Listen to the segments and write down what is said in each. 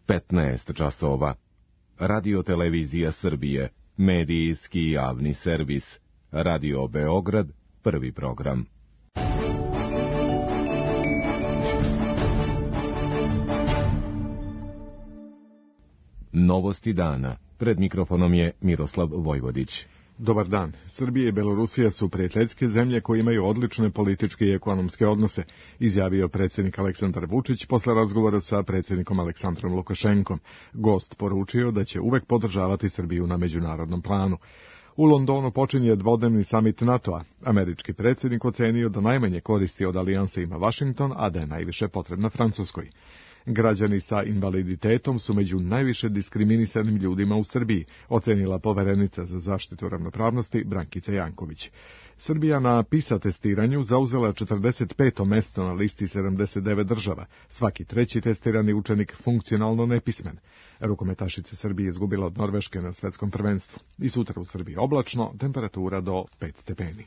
15 časova. Radio Televizija Srbije, medijski javni servis. Radio Beograd, prvi program. Novosti dana. Pred mikrofonom je Miroslav Vojvodić. Dobar dan. Srbija i Belorusija su prijateljske zemlje koje imaju odlične političke i ekonomske odnose, izjavio predsjednik Aleksandar Vučić posle razgovora sa predsjednikom Aleksandrom Lukašenkom. Gost poručio da će uvek podržavati Srbiju na međunarodnom planu. U Londonu počinje dvodnevni samit NATO-a. Američki predsjednik ocenio da najmanje koristi od alijanse ima Vašington, a da je najviše potrebna Francuskoj. Građani sa invaliditetom su među najviše diskriminisanim ljudima u Srbiji, ocenila poverenica za zaštitu ravnopravnosti Brankica Janković. Srbija na PISA testiranju zauzela 45. mesto na listi 79 država, svaki treći testirani učenik funkcionalno nepismen. Rukometašica Srbije izgubila od Norveške na svetskom prvenstvu. I sutra u Srbiji oblačno, temperatura do 5 stepeni.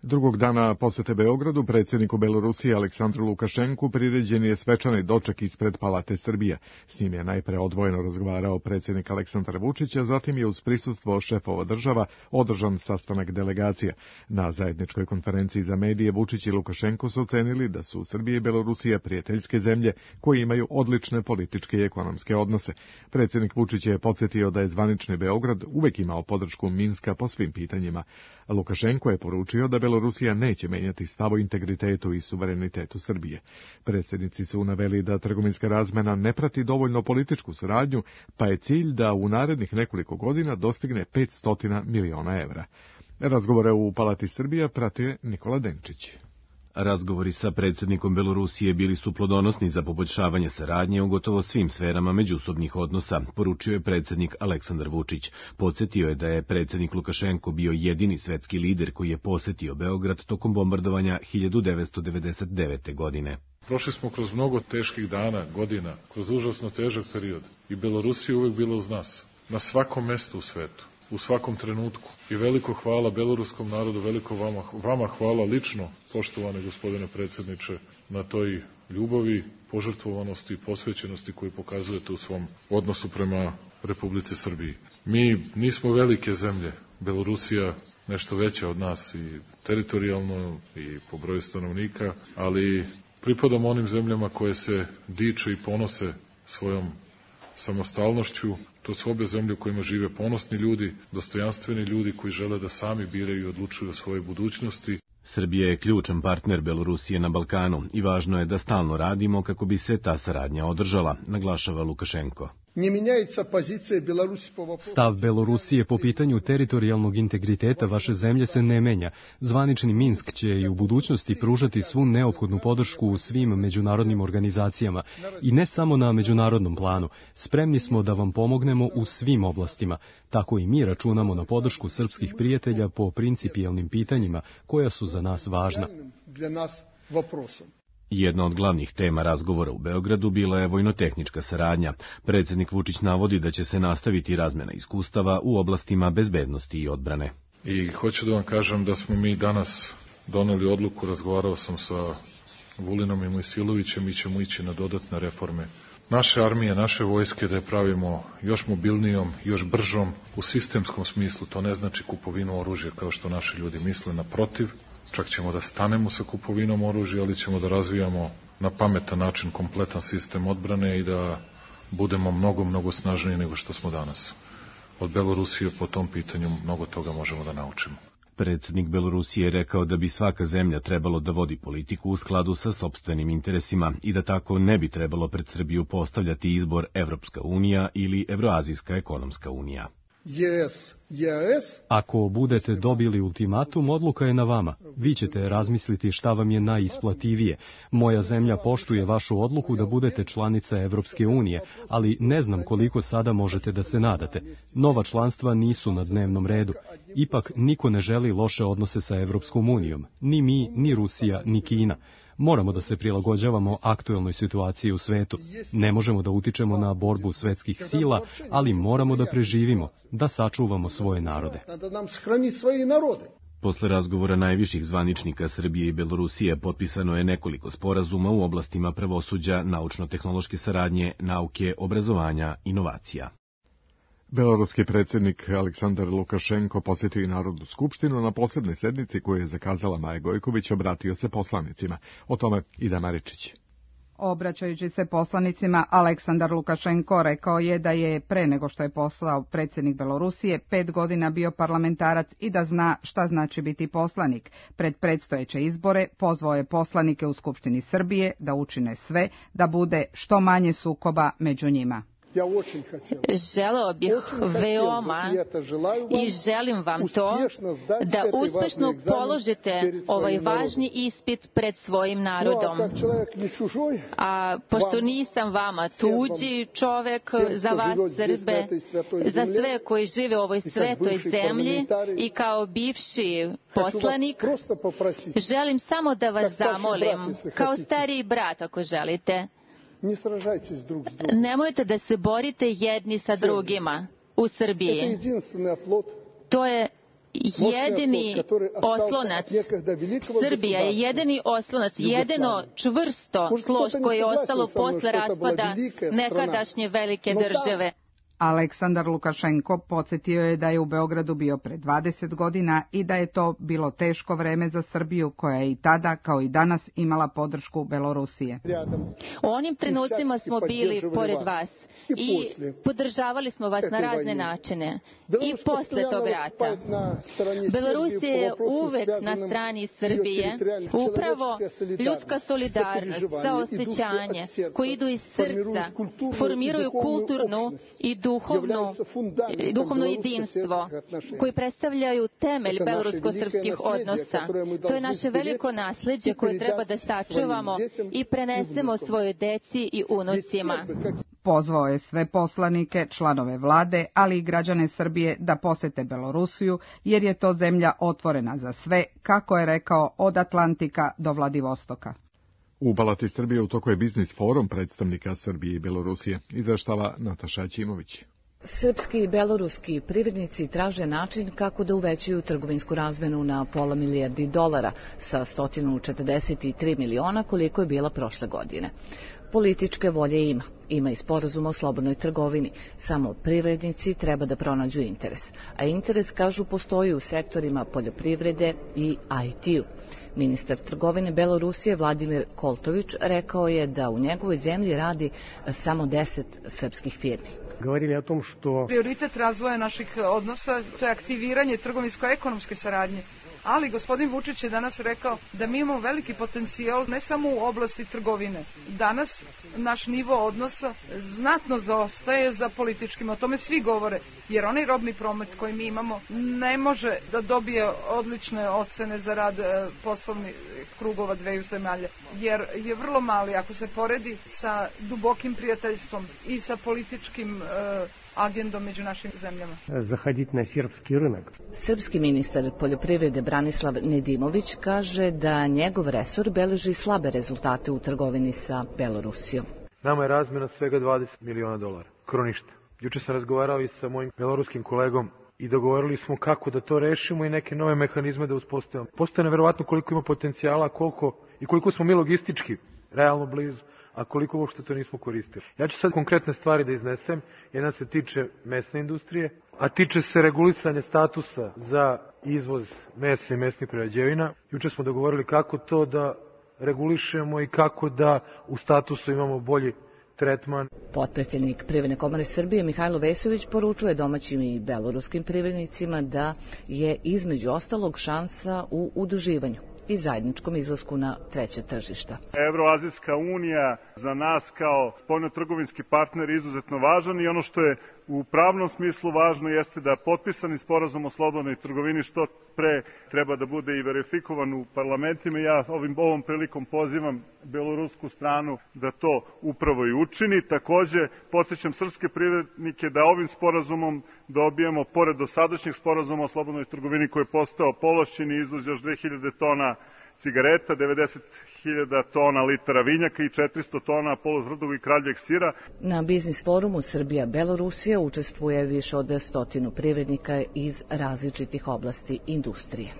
Drugog dana posete Beogradu predsjedniku Belorusije Aleksandru Lukašenku priređen je svečani doček ispred Palate Srbije. S njim je najpre odvojeno razgovarao predsjednik Aleksandar Vučić, a zatim je uz prisustvo šefova država održan sastanak delegacija. Na zajedničkoj konferenciji za medije Vučić i Lukašenko su ocenili da su Srbija i Belorusija prijateljske zemlje koje imaju odlične političke i ekonomske odnose. Predsjednik Vučić je podsjetio da je zvanični Beograd uvek imao podršku Minska po svim pitanjima. Lukašenko je poručio da Belorusija neće menjati stav o integritetu i suverenitetu Srbije. Predsjednici su naveli da trgovinska razmena ne prati dovoljno političku saradnju, pa je cilj da u narednih nekoliko godina dostigne 500 miliona evra. Razgovore u Palati Srbija pratio Nikola Denčić. Razgovori sa predsjednikom Belorusije bili su plodonosni za poboljšavanje saradnje u gotovo svim sferama međusobnih odnosa, poručio je predsjednik Aleksandar Vučić. Podsjetio je da je predsjednik Lukašenko bio jedini svetski lider koji je posetio Beograd tokom bombardovanja 1999. godine. Prošli smo kroz mnogo teških dana, godina, kroz užasno težak period i Belorusija uvek bila uz nas, na svakom mestu u svetu. U svakom trenutku. I veliko hvala beloruskom narodu, veliko vama hvala lično, poštovane gospodine predsjedniče, na toj ljubavi, požrtvovanosti i posvećenosti koju pokazujete u svom odnosu prema Republici Srbiji. Mi nismo velike zemlje, Belorusija nešto veća od nas i teritorijalno i po broju stanovnika, ali pripadamo onim zemljama koje se diče i ponose svojom samostalnošću. To su obe zemlje u kojima žive ponosni ljudi, dostojanstveni ljudi koji žele da sami biraju i odlučuju o svojoj budućnosti. Srbija je ključan partner Belorusije na Balkanu i važno je da stalno radimo kako bi se ta saradnja održala, naglašava Lukašenko. Stav Belorusije po pitanju teritorijalnog integriteta vaše zemlje se ne menja. Zvanični Minsk će i u budućnosti pružati svu neophodnu podršku u svim međunarodnim organizacijama i ne samo na međunarodnom planu. Spremni smo da vam pomognemo u svim oblastima. Tako i mi računamo na podršku srpskih prijatelja po principijelnim pitanjima koja su za nas važna. Jedna od glavnih tema razgovora u Beogradu bila je vojnotehnička saradnja. Predsjednik Vučić navodi da će se nastaviti razmjena iskustava u oblastima bezbednosti i odbrane. I hoću da vam kažem da smo mi danas doneli odluku, razgovarao sam sa Vulinom i Mojsilovićem, mi ćemo ići na dodatne reforme naše armije, naše vojske, da je pravimo još mobilnijom, još bržom u sistemskom smislu. To ne znači kupovinu oružja kao što naši ljudi misle, naprotiv. Čak ćemo da stanemo sa kupovinom oružja, ali ćemo da razvijamo na pametan način kompletan sistem odbrane i da budemo mnogo snažniji nego što smo danas. Od Belorusije po tom pitanju mnogo toga možemo da naučimo. Predsjednik Belorusije je rekao da bi svaka zemlja trebalo da vodi politiku u skladu sa sopstvenim interesima i da tako ne bi trebalo pred Srbiju postavljati izbor Evropska unija ili Evroazijska ekonomska unija. Ako budete dobili ultimatum, odluka je na vama. Vi ćete razmisliti šta vam je najisplativije. Moja zemlja poštuje vašu odluku da budete članica Evropske unije, ali ne znam koliko sada možete da se nadate. Nova članstva nisu na dnevnom redu. Ipak niko ne želi loše odnose sa Evropskom unijom. Ni mi, ni Rusija, ni Kina. Moramo da se prilagođavamo aktuelnoj situaciji u svetu. Ne možemo da utičemo na borbu svetskih sila, ali moramo da preživimo, da sačuvamo svoje narode. Posle razgovora najviših zvaničnika Srbije i Belorusije potpisano je nekoliko sporazuma u oblastima pravosuđa, naučno-tehnološke saradnje, nauke, obrazovanja, inovacija. Beloruski predsjednik Aleksandar Lukašenko posjetio i Narodnu skupštinu. Na posebnoj sednici koju je zakazala Maja Gojković obratio se poslanicima. O tome Ida Maričić. Obraćajući se poslanicima, Aleksandar Lukašenko rekao je da je pre nego što je postao predsjednik Belorusije 5 godina bio parlamentarac i da zna šta znači biti poslanik. Pred predstojeće izbore pozvao je poslanike u Skupštini Srbije da učine sve da bude što manje sukoba među njima. Želeo bih veoma i želim vam to da uspešno položite ovaj važni ispit pred svojim narodom. A pošto nisam vama tuđi čovek, za vas Srbe, za sve koji žive u ovoj svetoj zemlji i kao bivši poslanik, želim samo da vas zamolim, kao stariji brat ako želite, nemojte da se borite jedni sa drugima u Srbiji. To je jedini oslonac. Srbija je jedini oslonac, jedino čvrsto tlo koje je ostalo posle raspada nekadašnje velike države. Aleksandar Lukašenko podsjetio je da je u Beogradu bio pre 20 godina i da je to bilo teško vreme za Srbiju, koja je i tada, kao i danas, imala podršku Belorusije. U onim trenucima smo bili pored vas i podržavali smo vas na razne načine. I posle tog rata. Belorusija je uvek na strani Srbije, upravo ljudska solidarnost, saosećanje, koji idu iz srca, formiraju kulturnu i duhovno jedinstvo, koji predstavljaju temelj belorusko-srpskih odnosa. To je naše veliko nasleđe koje treba da sačuvamo i prenesemo svojoj deci i unucima. Pozvao je sve poslanike, članove vlade, ali i građane Srbije da posete Belorusiju, jer je to zemlja otvorena za sve, kako je rekao, od Atlantika do Vladivostoka. U Palati Srbije u toku je biznis forum predstavnika Srbije i Belorusije, izveštava Nataša Ćimović. Srpski i beloruski privrednici traže način kako da uvećaju trgovinsku razmenu na $500 milijardi sa 143 miliona koliko je bila prošle godine. Političke volje ima i sporazum o slobodnoj trgovini, samo privrednici treba da pronađu interes. A interes, kažu, postoji u sektorima poljoprivrede i IT-u. Ministar trgovine Belorusije Vladimir Koltović rekao je da u njegovoj zemlji radi samo 10 srpskih firmi. Govorili o tom što prioritet razvoja naših odnosa, to je aktiviranje trgovinsko-ekonomske saradnje. Ali gospodin Vučić je danas rekao da mi imamo veliki potencijal ne samo u oblasti trgovine. Danas naš nivo odnosa znatno zaostaje za političkim, o tome svi govore, jer onaj robni promet koji mi imamo ne može da dobije odlične ocene za rad poslovnih krugova dveju zemalja, jer je vrlo mali ako se poredi sa dubokim prijateljstvom i sa političkim agendom među našim zemljama. Zahoditi na srpski rinak. Srpski ministar poljoprivrede Branislav Nedimović kaže da njegov resor beleži slabe rezultate u trgovini sa Belorusijom. Nama je razmjena svega $20 miliona. Kroništa. Juče sam razgovarao i sa mojim beloruskim kolegom i dogovorili smo kako da to rešimo i neke nove mehanizme da uspostavimo. Postoje neverovatno koliko ima potencijala, koliko smo mi logistički realno blizu, a koliko uopšte to nismo koristili. Ja ću sad konkretne stvari da iznesem. Jedna se tiče mesne industrije, a tiče se regulisanja statusa za izvoz mesa i mesnih prerađevina. Juče smo dogovorili kako to da regulišemo i kako da u statusu imamo bolji tretman. Potpredsjednik Privredne komore Srbije Mihajlo Vesović poručuje domaćim i beloruskim privrednicima da je između ostalog šansa u udruživanju i zajedničkom izlasku na treće tržišta. Evroazijska unija za nas kao spoljnotrgovinski partner je izuzetno važan i ono što je u pravnom smislu važno jeste da potpisani sporazum o slobodnoj trgovini što pre treba da bude i verifikovan u parlamentima. Ja ovom prilikom pozivam belorusku stranu da to upravo i učini. Takođe, podsjećam srpske privrednike da ovim sporazumom dobijamo, pored dosadašnjeg sporazuma o slobodnoj trgovini koji je postao povlašćeni izvoz još 2000 tona cigareta, 90.000 tona litara vinjaka i 400 tona polutvrdog i kraljeg sira. Na biznis forumu Srbija-Belorusija učestvuje više od 100 privrednika iz različitih oblasti industrije.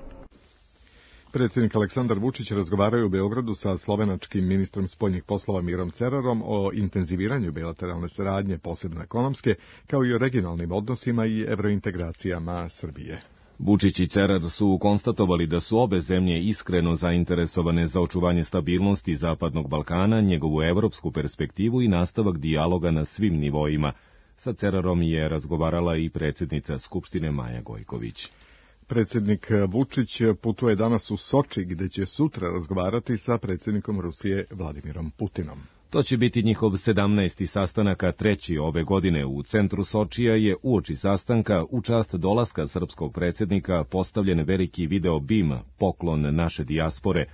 Predsjednik Aleksandar Vučić razgovarao je u Beogradu sa slovenačkim ministrom spoljnih poslova Mirom Cerarom o intenziviranju bilateralne saradnje, posebno ekonomske, kao i o regionalnim odnosima i evrointegracijama Srbije. Vučić i Cerar su konstatovali da su obe zemlje iskreno zainteresovane za očuvanje stabilnosti Zapadnog Balkana, njegovu evropsku perspektivu i nastavak dijaloga na svim nivoima. Sa Cerarom je razgovarala i predsjednica Skupštine Maja Gojković. Predsjednik Vučić putuje danas u Soči, gde će sutra razgovarati sa predsjednikom Rusije Vladimirom Putinom. To će biti njihov 17. sastanak, a 3. ove godine. U centru Sočija je uoči sastanka u čast dolaska srpskog predsjednika postavljen veliki video BIM, poklon naše dijaspore.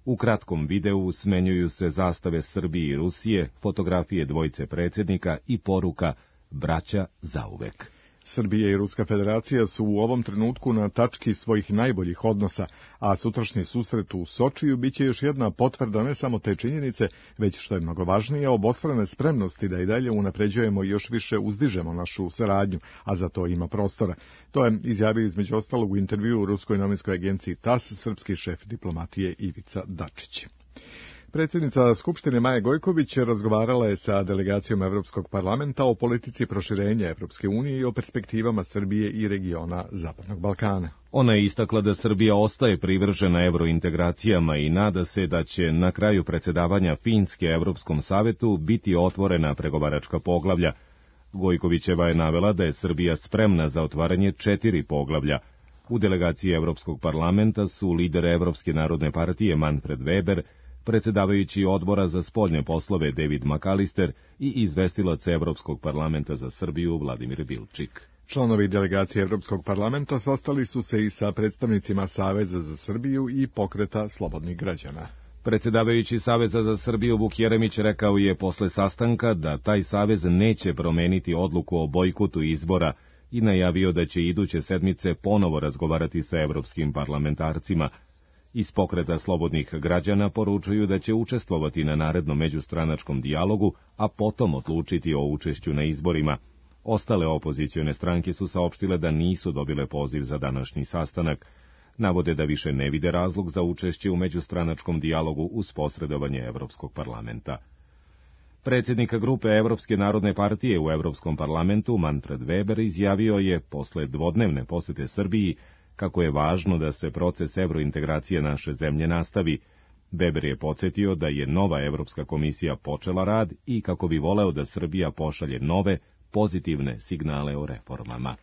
U kratkom videu smenjuju se zastave Srbije i Rusije, fotografije dvojice predsjednika i poruka braća zauvek. Srbija i Ruska federacija su u ovom trenutku na tački svojih najboljih odnosa, a sutrašnji susret u Sočiju biće još jedna potvrda ne samo te činjenice, već što je mnogo važnije, obostrane spremnosti da i dalje unapređujemo i još više uzdižemo našu saradnju, a za to ima prostora. To je izjavio između ostalog u intervjuu u ruskoj novinskoj agenciji TAS srpski šef diplomatije Ivica Dačić. Predsjednica Skupštine Maja Gojković razgovarala je sa delegacijom Evropskog parlamenta o politici proširenja Evropske unije i o perspektivama Srbije i regiona Zapadnog Balkana. Ona je istakla da Srbija ostaje privržena evrointegracijama i nada se da će na kraju predsjedavanja Finske Evropskom savetu biti otvorena pregovaračka poglavlja. Gojkovićeva je navela da je Srbija spremna za otvaranje 4 poglavlja. U delegaciji Evropskog parlamenta su lider Evropske narodne partije Manfred Weber, predsjedavajući odbora za spoljne poslove David McAllister i izvestilac Evropskog parlamenta za Srbiju Vladimir Bilčik. Članovi delegacije Evropskog parlamenta sastali su se i sa predstavnicima Saveza za Srbiju i Pokreta slobodnih građana. Predsjedavajući Saveza za Srbiju Vuk Jeremić rekao je posle sastanka da taj savez neće promeniti odluku o bojkotu izbora i najavio da će iduće sedmice ponovo razgovarati sa evropskim parlamentarcima. Iz Pokreta slobodnih građana poručuju da će učestvovati na narednom međustranačkom dijalogu, a potom odlučiti o učešću na izborima. Ostale opozicione stranke su saopštile da nisu dobile poziv za današnji sastanak. Navode da više ne vide razlog za učešće u međustranačkom dijalogu uz posredovanje Evropskog parlamenta. Predsjednik grupe Evropske narodne partije u Evropskom parlamentu, Manfred Weber, izjavio je posle dvodnevne posete Srbiji kako je važno da se proces evrointegracije naše zemlje nastavi. Weber je podsjetio da je nova Evropska komisija počela rad i kako bi voleo da Srbija pošalje nove, pozitivne signale o reformama.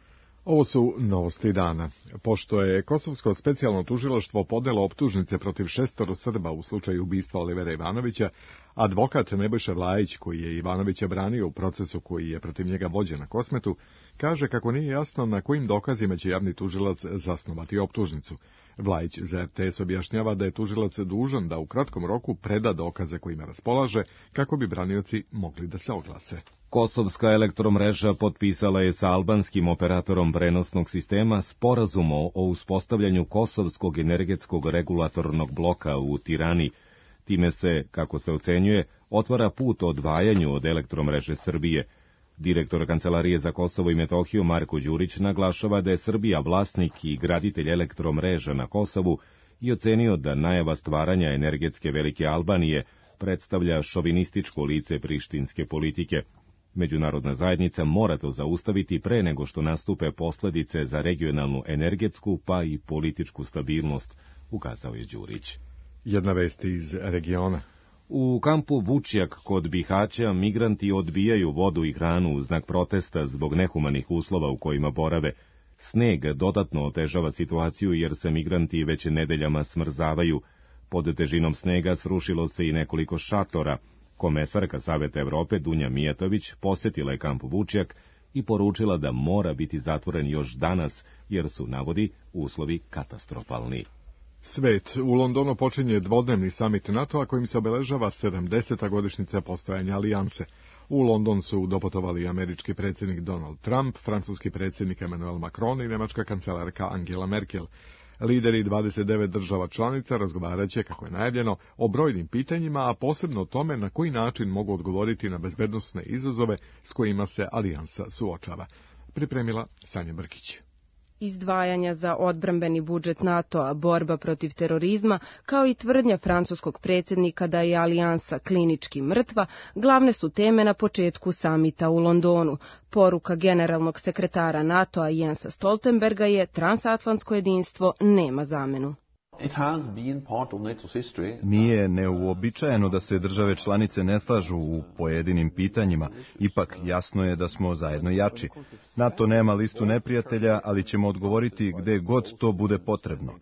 Ovo su novosti dana. Pošto je Kosovsko specijalno tužilaštvo podnelo optužnice protiv 6 Srba u slučaju ubistva Olivera Ivanovića, advokat Nebojša Vlajić, koji je Ivanovića branio u procesu koji je protiv njega vođen na Kosmetu, kaže kako nije jasno na kojim dokazima će javni tužilac zasnovati optužnicu. Vlajić za RTS objašnjava da je tužilac dužan da u kratkom roku preda dokaze kojima raspolaže kako bi branioci mogli da se oglase. Kosovska elektromreža potpisala je sa albanskim operatorom prenosnog sistema sporazum o uspostavljanju Kosovskog energetskog regulatornog bloka u Tirani. Time se, kako se ocenjuje, otvara put odvajanju od elektromreže Srbije. Direktor Kancelarije za Kosovo i Metohiju Marko Đurić naglašava da je Srbija vlasnik i graditelj elektromreža na Kosovu i ocenio da najava stvaranja energetske velike Albanije predstavlja šovinističko lice prištinske politike. Međunarodna zajednica mora to zaustaviti pre nego što nastupe posljedice za regionalnu energetsku pa i političku stabilnost, ukazao je Đurić. Jedna vest iz regiona. U kampu Vučjak kod Bihaća migranti odbijaju vodu i hranu u znak protesta zbog nehumanih uslova u kojima borave. Sneg dodatno otežava situaciju jer se migranti već nedeljama smrzavaju. Pod težinom snega srušilo se i nekoliko šatora. Komesarka Saveta Evrope Dunja Mijatović posjetila je kamp Vučjak i poručila da mora biti zatvoren još danas jer su, navodi, uslovi katastrofalni. Svet. U Londonu počinje dvodnevni samit NATO-a kojim se obeležava 70. godišnjica postojanja alijanse. U London su doputovali američki predsjednik Donald Trump, francuski predsjednik Emmanuel Macron i nemačka kancelarka Angela Merkel. Lideri 29 država članica razgovarat će, kako je najavljeno, o brojnim pitanjima, a posebno o tome na koji način mogu odgovoriti na bezbednosne izazove s kojima se alijansa suočava. Pripremila Sanja Brkić. Izdvajanja za odbrambeni budžet NATO-a, borba protiv terorizma, kao i tvrdnja francuskog predsjednika da je alijansa klinički mrtva, glavne su teme na početku samita u Londonu. Poruka generalnog sekretara NATO-a Jensa Stoltenberga je transatlantsko jedinstvo nema zamenu. Nije neuobičajeno da se države članice ne slažu u pojedinim pitanjima, ipak jasno je da smo zajedno jači. NATO nema listu neprijatelja, ali ćemo odgovoriti gde god to bude potrebno.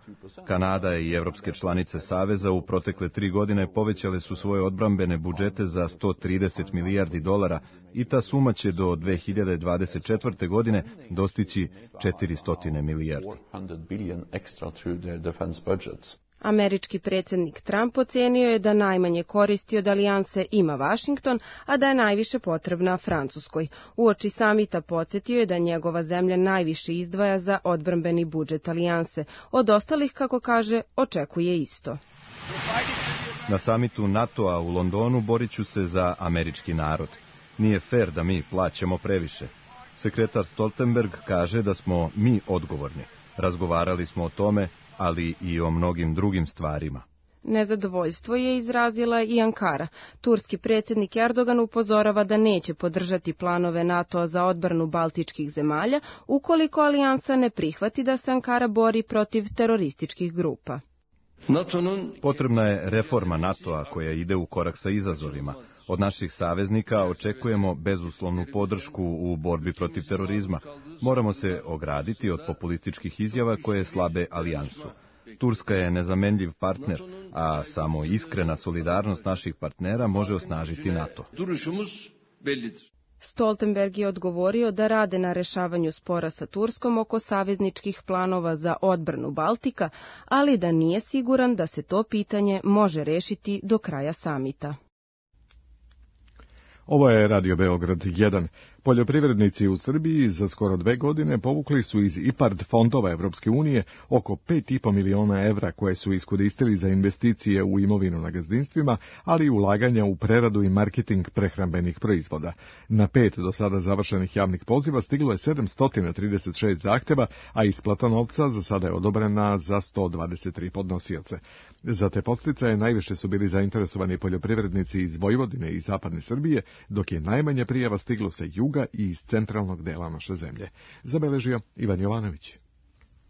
Kanada i evropske članice Saveza u protekle 3 godine povećale su svoje odbrambene budžete za $130 milijardi i ta suma će do 2024. godine dostići $400 milijardi. Američki predsjednik Trump ocenio je da najmanje koristi od alijanse ima Vašington, a da je najviše potrebna Francuskoj. Uoči samita podsjetio je da njegova zemlja najviše izdvaja za odbrambeni budžet alijanse. Od ostalih, kako kaže, očekuje isto. Na samitu NATO-a u Londonu borit ću se za američki narod. Nije fair da mi plaćamo previše. Sekretar Stoltenberg kaže da smo mi odgovorni. Razgovarali smo o tome, ali i o mnogim drugim stvarima. Nezadovoljstvo je izrazila i Ankara. Turski predsjednik Erdogan upozorava da neće podržati planove NATO-a za odbranu baltičkih zemalja ukoliko alijansa ne prihvati da se Ankara bori protiv terorističkih grupa. Potrebna je reforma NATO-a koja ide u korak sa izazovima. Od naših saveznika očekujemo bezuslovnu podršku u borbi protiv terorizma. Moramo se ograditi od populističkih izjava koje slabe alijansu. Turska je nezamenljiv partner, a samo iskrena solidarnost naših partnera može osnažiti NATO. Stoltenberg je odgovorio da rade na rešavanju spora sa Turskom oko savezničkih planova za odbranu Baltika, ali da nije siguran da se to pitanje može rešiti do kraja samita. Ovo je Radio Beograd 1. Poljoprivrednici u Srbiji za skoro 2 godine povukli su iz IPARD fondova Evropske unije oko 5,5 miliona evra koje su iskoristili za investicije u imovinu na gazdinstvima, ali i ulaganja u preradu i marketing prehrambenih proizvoda. Na 5 do sada završenih javnih poziva stiglo je 736 zahteva, a isplata novca za sada je odobrena za 123 podnosioce. Za te podsticaje najviše su bili zainteresovani poljoprivrednici iz Vojvodine i zapadne Srbije, dok je najmanje prijava stiglo sa juga i iz centralnog dela naše zemlje. Zabeležio Ivan Jovanović.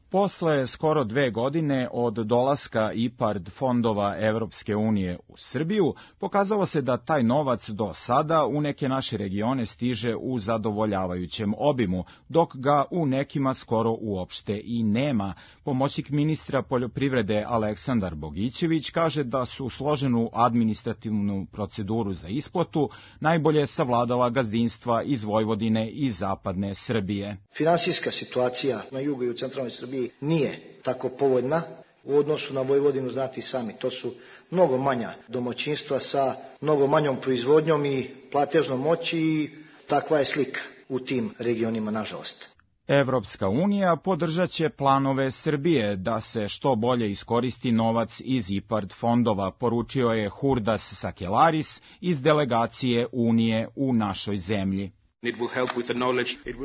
Posle skoro 2 godine od dolaska IPARD fondova Evropske unije u Srbiju, pokazalo se da taj novac do sada u neke naše regione stiže u zadovoljavajućem obimu, dok ga u nekima skoro uopšte i nema. Pomoćnik ministra poljoprivrede Aleksandar Bogićević kaže da su složenu administrativnu proceduru za isplatu najbolje savladala gazdinstva iz Vojvodine i zapadne Srbije. Finansijska situacija na jugu i u centralnoj Srbiji nije tako povoljna u odnosu na Vojvodinu, znate i sami. To su mnogo manja domaćinstva sa mnogo manjom proizvodnjom i platežnom moći i takva je slika u tim regionima, nažalost. Evropska unija podržat će planove Srbije da se što bolje iskoristi novac iz IPARD fondova, poručio je Hurdas Sakelaris iz delegacije Unije u našoj zemlji.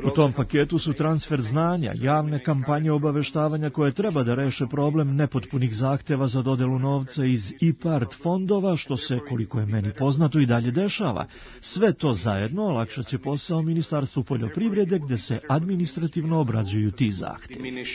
U tom paketu su transfer znanja, javne kampanje obaveštavanja koje treba da reše problem nepotpunih zahteva za dodelu novca iz IPARD fondova, što se, koliko je meni poznato, i dalje dešava. Sve to zajedno olakšat će posao Ministarstvu poljoprivrede gde se administrativno obrađuju ti zahtevi.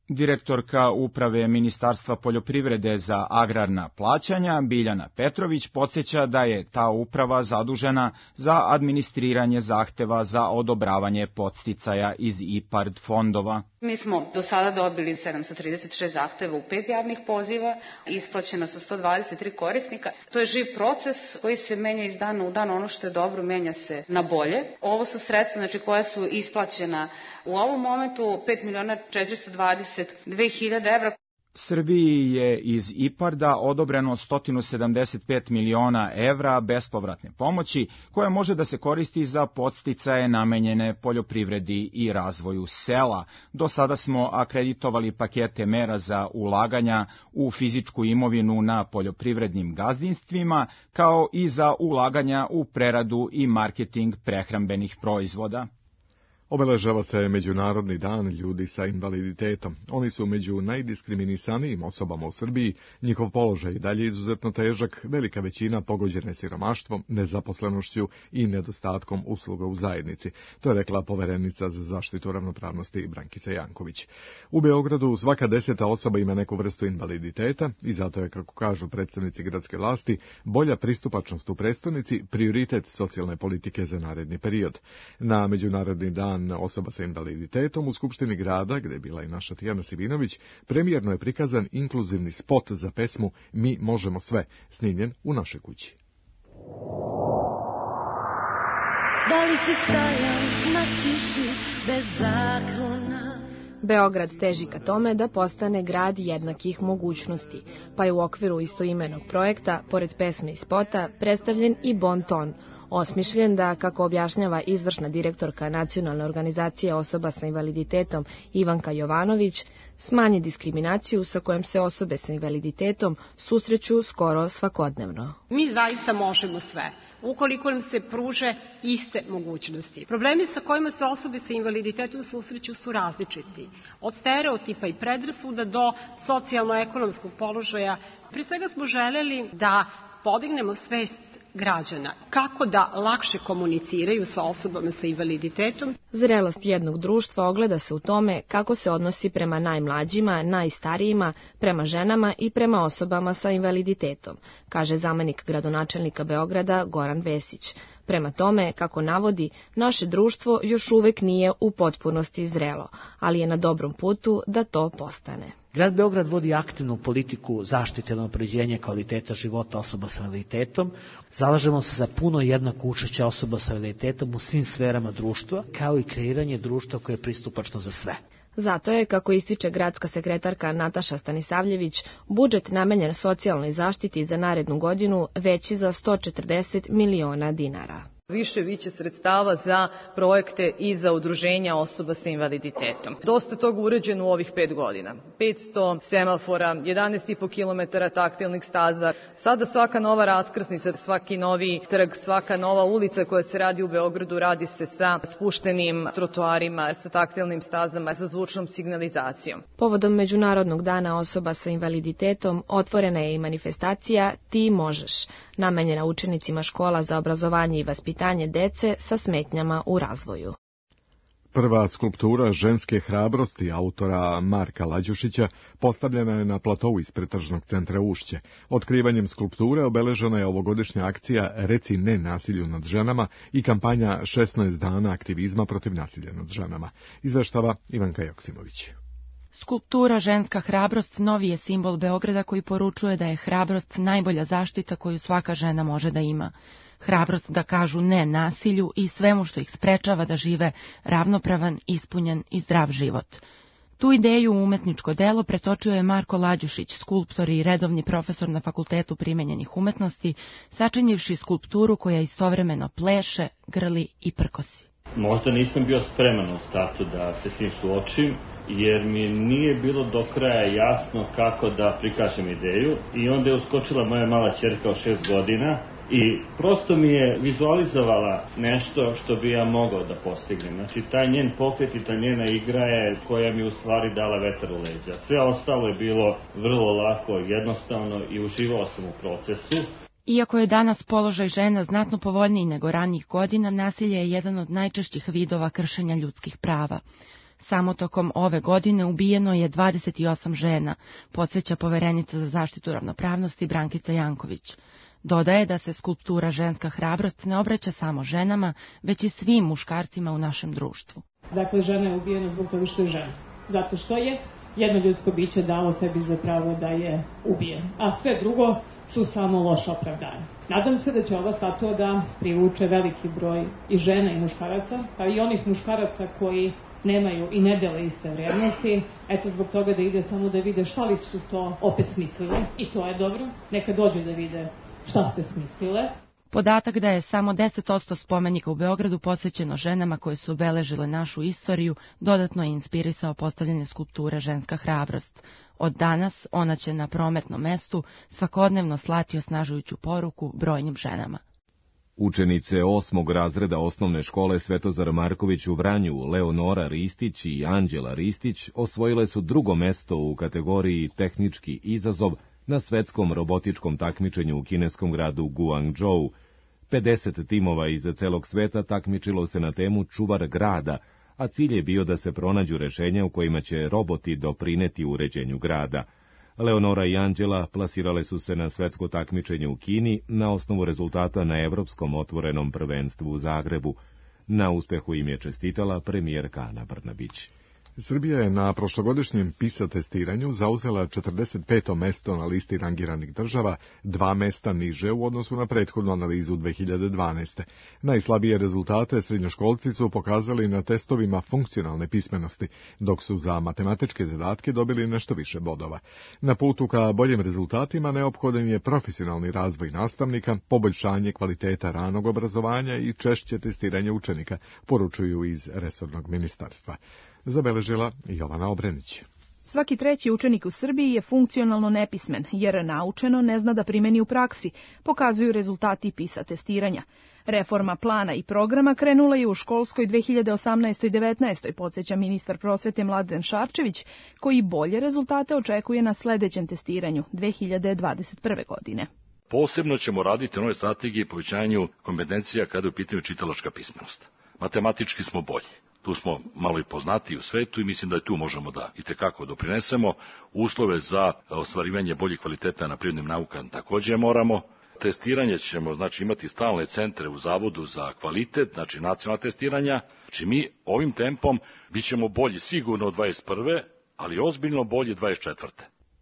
Direktorka Uprave Ministarstva poljoprivrede za agrarna plaćanja Biljana Petrović podsjeća da je ta uprava zadužena za administriranje zahteva za odobravanje podsticaja iz IPARD fondova. Mi smo do sada dobili 736 zahteva u 5 javnih poziva, isplaćena su 123 korisnika. To je živ proces koji se menja iz dana u dan, ono što je dobro menja se na bolje. Ovo su sredstva koja su isplaćena u ovom momentu 5.422.000 evra. Srbiji je iz IPARD-a odobreno 175 miliona evra bespovratne pomoći, koja može da se koristi za podsticaje namenjene poljoprivredi i razvoju sela. Do sada smo akreditovali pakete mera za ulaganja u fizičku imovinu na poljoprivrednim gazdinstvima, kao i za ulaganja u preradu i marketing prehrambenih proizvoda. Obeležava se Međunarodni dan ljudi sa invaliditetom. Oni su među najdiskriminisanijim osobama u Srbiji, njihov položaj i dalje izuzetno težak, velika većina pogođene siromaštvom, nezaposlenošću i nedostatkom usluga u zajednici. To je rekla poverenica za zaštitu ravnopravnosti Brankica Janković. U Beogradu svaka 10. osoba ima neku vrstu invaliditeta i zato je, kako kažu predstavnici gradske vlasti, bolja pristupačnost u prestonici prioritet socijalne politike za naredni period. Na Međunarodni dan osoba sa invaliditetom u Skupštini grada, gde je bila i naša Tijana Sivinović, premijerno je prikazan inkluzivni spot za pesmu Mi možemo sve, snimljen u našoj kući. Da li si stajao na kiši bez zaklona? Beograd teži ka tome da postane grad jednakih mogućnosti, pa je u okviru istoimenog projekta, pored pesme i spota, predstavljen i bon ton, osmišljen da, kako objašnjava izvršna direktorka Nacionalne organizacije osoba sa invaliditetom Ivanka Jovanović, smanji diskriminaciju sa kojom se osobe sa invaliditetom susreću skoro svakodnevno. Mi zaista možemo sve, ukoliko nam se pruže iste mogućnosti. Problemi sa kojima se osobe sa invaliditetom susreću su različiti, od stereotipa i predrasuda do socijalno-ekonomskog položaja. Pre svega smo želeli da podignemo svest građana, kako da lakše komuniciraju sa osobama sa invaliditetom. Zrelost jednog društva ogleda se u tome kako se odnosi prema najmlađima, najstarijima, prema ženama i prema osobama sa invaliditetom, kaže zamenik gradonačelnika Beograda Goran Vesić. Prema tome, kako navodi, naše društvo još uvek nije u potpunosti zrelo, ali je na dobrom putu da to postane. Grad Beograd vodi aktivnu politiku zaštite i unapređenja kvaliteta života osoba sa invaliditetom. Zalažemo se za puno jednako učešće osoba sa invaliditetom u svim sferama društva, kao i kreiranje društva koje je pristupačno za sve. Zato je, kako ističe gradska sekretarka Nataša Stanisavljević, budžet namenjen socijalnoj zaštiti za narednu godinu veći za 140 miliona dinara. Više sredstava za projekte i za udruženja osoba sa invaliditetom. Dosta toga urađeno u ovih 5 godina. 500 semafora, 11,5 km taktilnih staza. Sada svaka nova raskrsnica, svaki novi trg, svaka nova ulica koja se radi u Beogradu radi se sa spuštenim trotoarima, sa taktilnim stazama, sa zvučnom signalizacijom. Povodom Međunarodnog dana osoba sa invaliditetom otvorena je i manifestacija Ti možeš, namenjena učenicima škola za obrazovanje i vaspitanje dece sa smetnjama u razvoju. Prva skulptura ženske hrabrosti autora Marka Lađušića postavljena je na platou ispred tržnog centra Ušće. Otkrivanjem skulpture obeležena je ovogodišnja akcija Reci ne nasilju nad ženama i kampanja 16 dana aktivizma protiv nasilja nad ženama. Izveštava Ivanka Joksimović. Skulptura Ženska hrabrost novi je simbol Beograda koji poručuje da je hrabrost najbolja zaštita koju svaka žena može da ima. Hrabrost da kažu ne nasilju i svemu što ih sprečava da žive ravnopravan, ispunjen i zdrav život. Tu ideju u umetničko delo pretočio je Marko Lađušić, skulptor i redovni profesor na Fakultetu primenjenih umetnosti, sačinjivši skulpturu koja istovremeno pleše, grli i prkosi. Možda nisam bio spreman u startu da se s tim suočim, jer mi nije bilo do kraja jasno kako da prikažem ideju i onda je uskočila moja mala ćerka od 6 godina i prosto mi je vizualizovala nešto što bi ja mogao da postignem. Znači, taj njen pokret i ta njena igra je koja mi u stvari dala vetar u leđa. Sve ostalo je bilo vrlo lako, jednostavno i uživao sam u procesu. Iako je danas položaj žena znatno povoljniji nego ranijih godina, nasilje je jedan od najčešćih vidova kršenja ljudskih prava. Samo tokom ove godine ubijeno je 28 žena, podsjeća poverenica za zaštitu ravnopravnosti Brankica Janković. Dodaje da se skulptura Ženska hrabrost ne obraća samo ženama, već i svim muškarcima u našem društvu. Dakle, žena je ubijena zbog toga što je žena. Zato što je jedno ljudsko biće dalo sebi za pravo da je ubije. A sve drugo su samo loša opravdanja. Nadam se da će ova statua da privuče veliki broj i žena i muškaraca, pa i onih muškaraca koji nemaju i ne dele iste vrijednosti, eto zbog toga da ide samo da vide šta li su to opet smislili. I to je dobro, neka dođe da vide šta ste smislile. Podatak da je samo 10% spomenika u Beogradu posvećeno ženama koje su obeležile našu istoriju dodatno je inspirisao postavljanje skulpture Ženska hrabrost. Od danas ona će na prometnom mestu svakodnevno slati osnažujuću poruku brojnim ženama. Učenice 8. razreda osnovne škole Svetozar Marković u Vranju, Leonora Ristić i Anđela Ristić, osvojile su 2. mesto u kategoriji tehnički izazov na svetskom robotičkom takmičenju u kineskom gradu Guangzhou. 50 timova iz celog sveta takmičilo se na temu Čuvar grada, a cilj je bio da se pronađu rešenja u kojima će roboti doprineti uređenju grada. Leonora i Anđela plasirale su se na svetsko takmičenje u Kini na osnovu rezultata na Evropskom otvorenom prvenstvu u Zagrebu. Na uspehu im je čestitala premijerka Ana Brnabić. Srbija je na prošlogodišnjem PISA testiranju zauzela 45. mesto na listi rangiranih država, 2 mesta niže u odnosu na prethodnu analizu 2012. Najslabije rezultate srednjoškolci su pokazali na testovima funkcionalne pismenosti, dok su za matematičke zadatke dobili nešto više bodova. Na putu ka boljim rezultatima neophodan je profesionalni razvoj nastavnika, poboljšanje kvaliteta ranog obrazovanja i češće testiranje učenika, poručuju iz resornog ministarstva. Zabeležila Jovana Obrenić. Svaki 3. učenik u Srbiji je funkcionalno nepismen, jer naučeno ne zna da primeni u praksi, pokazuju rezultati PISA testiranja. Reforma plana i programa krenula je u školskoj 2018-19, podsjeća ministar prosvete Mladen Šarčević, koji bolje rezultate očekuje na sledećem testiranju 2021. godine. Posebno ćemo raditi na nove strategije i povećanju kompetencija kada je u pitanju čitalačka pismenost. Matematički smo bolji. Tu smo malo i poznatiji u svetu i mislim da i tu možemo da itekako doprinesemo. Uslove za ostvarivanje boljih kvaliteta na prirodnim naukama takođe moramo. Testiranje ćemo imati stalne centre u Zavodu za kvalitet, znači nacionalna testiranja. Znači mi ovim tempom bit ćemo bolji sigurno od 21. ali ozbiljno bolji 24.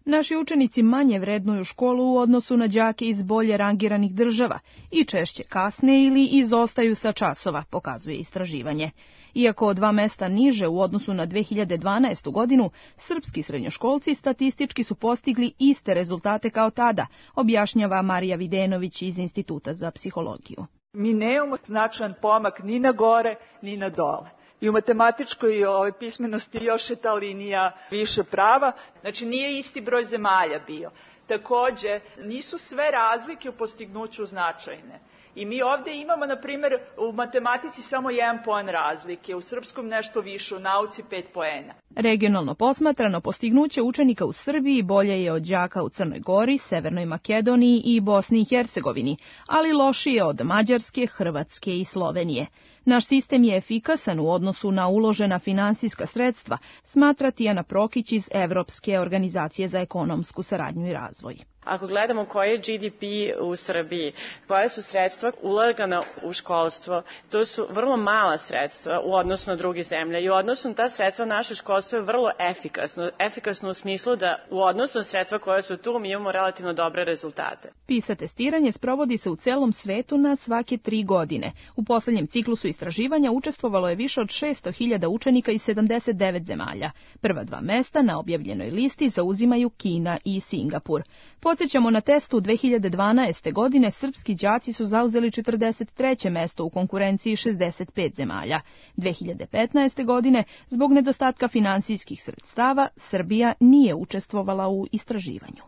Naši učenici manje vrednuju školu u odnosu na đake iz bolje rangiranih država i češće kasne ili izostaju sa časova, pokazuje istraživanje. Iako 2 mesta niže u odnosu na 2012. godinu, srpski srednjoškolci statistički su postigli iste rezultate kao tada, objašnjava Marija Videnović iz Instituta za psihologiju. Mi nemamo značajan pomak ni na gore, ni na dole. I u matematičkoj pismenosti još je ta linija više prava, znači nije isti broj zemalja bio. Takođe, nisu sve razlike u postignuću značajne. I mi ovde imamo, na primjer, u matematici samo 1 poen razlike, u srpskom nešto više, u nauci 5 poena. Regionalno posmatrano, postignuće učenika u Srbiji bolje je od đaka u Crnoj Gori, Severnoj Makedoniji i Bosni i Hercegovini, ali lošije od Mađarske, Hrvatske i Slovenije. Naš sistem je efikasan u odnosu na uložena finansijska sredstva, smatra Tijana Prokić iz Evropske organizacije za ekonomsku saradnju i razvoj. Ako gledamo koji je GDP u Srbiji, koja su sredstva ulagana u školstvo, to su vrlo mala sredstva u odnosu na druge zemlje i u odnosu na ta sredstva naše školstvo je vrlo efikasno. Efikasno u smislu da u odnosu na sredstva koja su tu mi imamo relativno dobre rezultate. PISA testiranje sprovodi se u celom svetu na svake 3 godine. U poslednjem ciklusu istraživanja učestvovalo je više od 600.000 učenika iz 79 zemalja. Prva 2 mesta na objavljenoj listi zauzimaju Kina i Singapur. Podsjećamo, na testu 2012. godine srpski đaci su zauzeli 43. mesto u konkurenciji 65 zemalja. 2015. godine, zbog nedostatka finansijskih sredstava, Srbija nije učestvovala u istraživanju.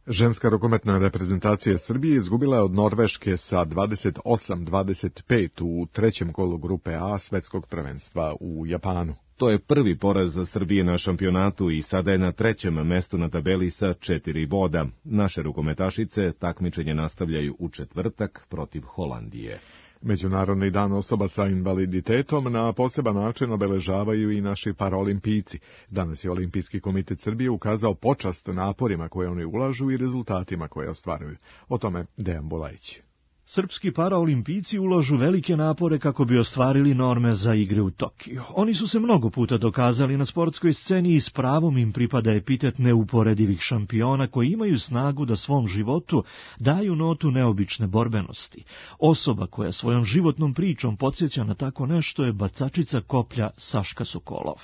Ženska rukometna reprezentacija Srbije izgubila je od Norveške sa 28-25 u 3. kolu grupe A svetskog prvenstva u Japanu. To je prvi poraz za Srbije na šampionatu i sada je na 3. mestu na tabeli sa 4 boda. Naše rukometašice takmičenje nastavljaju u četvrtak protiv Holandije. Međunarodni dan osoba sa invaliditetom na poseban način obeležavaju i naši paraolimpijci. Danas je Olimpijski komitet Srbije ukazao počast naporima koje oni ulažu i rezultatima koje ostvaruju. O tome Dejan Bulajić. Srpski paraolimpijci ulažu velike napore kako bi ostvarili norme za igre u Tokiju. Oni su se mnogo puta dokazali na sportskoj sceni i s pravom im pripada epitet neuporedivih šampiona koji imaju snagu da svom životu daju notu neobične borbenosti. Osoba koja svojom životnom pričom podsjeća na tako nešto je bacačica koplja Saška Sokolov.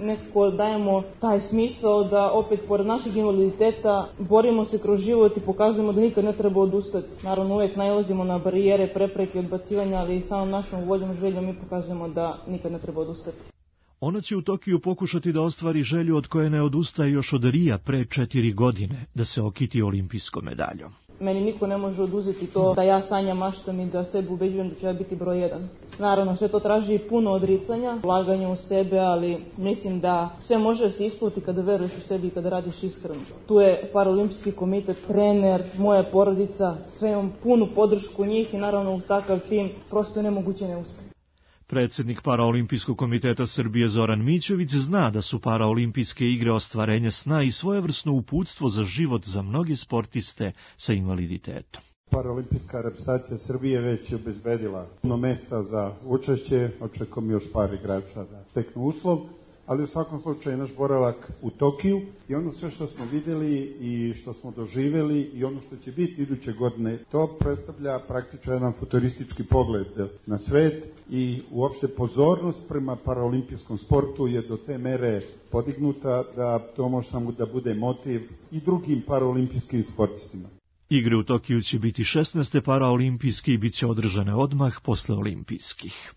Nekako dajemo taj smisao da opet pored našeg invaliditeta borimo se kroz život i pokazujemo da nikad ne treba odustati. Naravno uvijek nailazimo na barijere, prepreke, odbacivanja, ali samom našom voljom, željom mi pokazujemo da nikad ne treba odustati. Ona će u Tokiju pokušati da ostvari želju od koje ne odustaje još od Rija pre 4 godine, da se okiti olimpijskom medaljom. Meni niko ne može oduzeti to da ja sanjam, maštam i da sebe ubeđujem da ću ja biti broj 1. Naravno, sve to traži puno odricanja, ulaganja u sebe, ali mislim da sve može da se isplati kada veruješ u sebi i kada radiš iskreno. Tu je Paraolimpijski komitet, trener, moja porodica, sve imam punu podršku njih i naravno uz takav tim prosto je nemoguće ne uspjeti. Predsjednik Paraolimpijskog komiteta Srbije Zoran Mićović zna da su Paraolimpijske igre ostvarenje sna i svojevrsno uputstvo za život za mnoge sportiste sa invaliditetom. Paraolimpijska reprezentacija Srbije već je obezbedila puno mesta za učešće, očekujem još par igrača da steknu uslov, ali u svakom slučaju naš boravak u Tokiju i ono sve što smo vidjeli i što smo doživjeli i ono što će biti iduće godine, to predstavlja praktično jedan futuristički pogled na svet i uopšte pozornost prema paraolimpijskom sportu je do te mere podignuta da to može samo da bude motiv i drugim paraolimpijskim sportistima. Igre u Tokiju će biti 16. paraolimpijske i bit će održane odmah posle olimpijskih.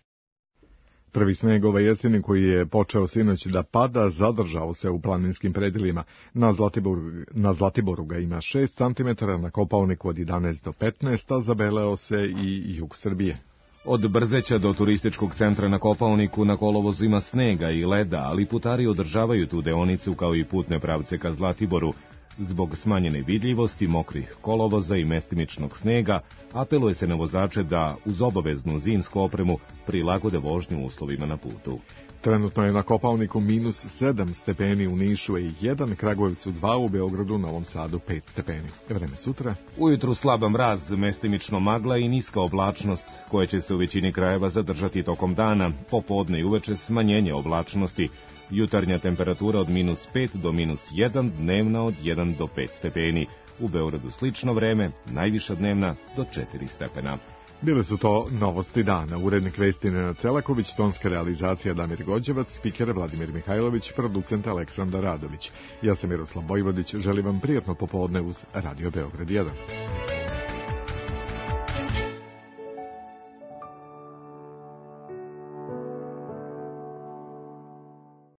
Prvi sneg ove jeseni koji je počeo sinoć da pada zadržao se u planinskim predjelima. Na Zlatiboru ga ima 6 cm, na Kopaoniku od 11 do 15, a zabeleo se i jug Srbije. Od Brzeća do turističkog centra na Kopaoniku na kolovozu ima snega i leda, ali putari održavaju tu deonicu kao i putne pravce ka Zlatiboru. Zbog smanjene vidljivosti, mokrih kolovoza i mestimičnog snega, apeluje se na vozače da, uz obaveznu zimsku opremu, prilagode vožnju uslovima na putu. Trenutno je na Kopaoniku minus 7 stepeni, u Nišu je 1, Kragujevcu 2, u Beogradu, Novom Sadu 5 stepeni. Vreme sutra? Ujutru slaba mraz, mestimično magla i niska oblačnost, koja će se u većini krajeva zadržati tokom dana, popodne i uveče smanjenje oblačnosti. Jutarnja temperatura od minus 5 do minus 1, dnevna od 1 do 5 stepeni. U Beogradu slično vreme, najviša dnevna do 4 stepena. Bile su to novosti dana. Urednik vesti Nenad Celaković, tonska realizacija Damir Gođevac, spiker Vladimir Mihajlović, producent Aleksandar Radović. Ja sam Miroslav Vojvodić, želim vam prijatno popodne uz Radio Beograd 1.